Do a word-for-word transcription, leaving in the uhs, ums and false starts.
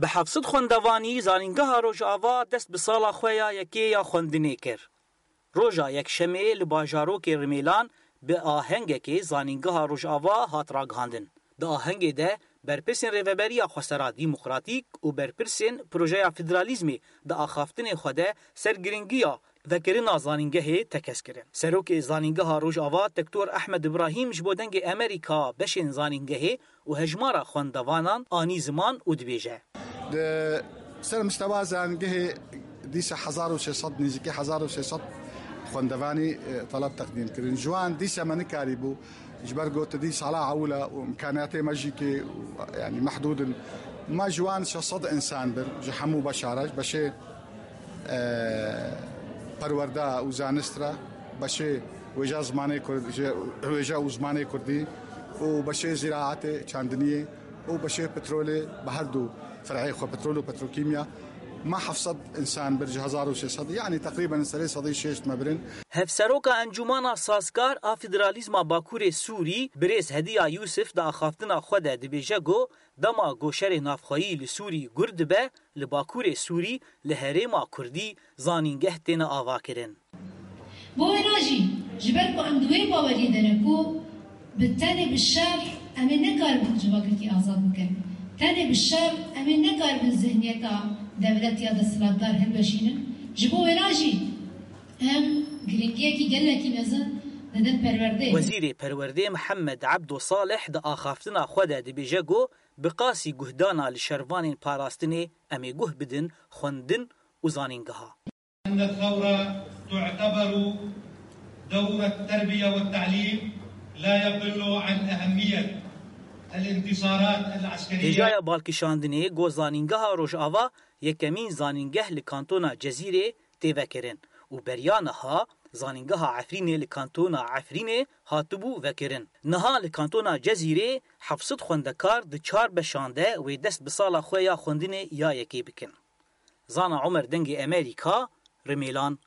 Bi heft sed xwendevanî Zanîngeha Rojava dest bi sala xwe ya yekê ya xwendinê kir. Roja Yekşemê li bajarokê Rimêlan bi ahengekê Zanîngeha Rojava hat ragihandin. Di ahengê de berpirsên Rêveberiya Xwesera Demokratîk û berpirsên Projeya Federalîzmê di axaftinê xwe de ser giringiya vekirina zanîngehê tekez kirin. Serokê Zanîngeha Rojava Tektor Ehmed Ibrahîm ji bo Dengê Emerîka beşên zanîngehê û hejmara xwendevanan anî ziman û dibêje: Di ser mistewa zanîngehê dîsa hezar û sê sed, nêzîkî hezar û sê sed xwendevanî, e, teleb teqdîm kirin. Ji wan dîsa me nikarîbû, ji ber ku tu dî sala ewil e û îmkaniyatê me jî kê, yanî mehdûd in. Me ji wan şeş sed însan bir, ji hemû beşa re, ji beşê e, perwerde û zanist re, beşê wêje zimanê Kurd-, ji wêje û zimanê Kurdî û beşê zîraetê, çandiniyê û beşê petrolê, bi her du fer'ê xwe, petrol û petrokîmya, me heft sed însan bir ji hezar û sê sed, yanî teqrîben serê sedî şêst me birin. Hevseroka Encûmana Sazkar a Federalîzma Bakurê Sûrî, birêz Hediya Yûsif di axaftina xwe de dibêje ku dema ku şerê navxweyî li Sûrî gur dibe, li Bakurê Sûrî, li herêma Kurdî zanîngeh têne avakirin. Bo wêna jî, ji ber ku em di wê baweriyê de ne ku bi tenê bi şer em ê nekaribin civakekî azad bikin. Tenê bi şer em ê nekaribin zihniyeta dewlet ya desthilatdar hilweşînin. Ji bo wêna jî em giringiyekî gelekî mezin didin perwerdeyê. Wezîrê Perwerdê Mihemed Ebdo Salih di axaftina xwe de dibêje ku bi qasî guhdana li şervanên parastinê em ê guh bidin xwendin û zanîngeha. أن الثورة تعتبر دور التربية والتعليم لا يقل عن أهمية الانتصارات العسكرية. Hêjaya balkişandinê ku Zanîngeha Rojava yekemîn zanîngeh li kantona Cezîrê tê vekirin û beriya niha Zanîngeha Efrînê li kantona Efrînê hatibû vekirin. Niha li kantona Cezîrê heft sed xwendekar di çar beşan de wê dest bi sala xwe ya xwendinê ya yekê bikin. Zana Omer, Dengê Emerîka, Rimêlan.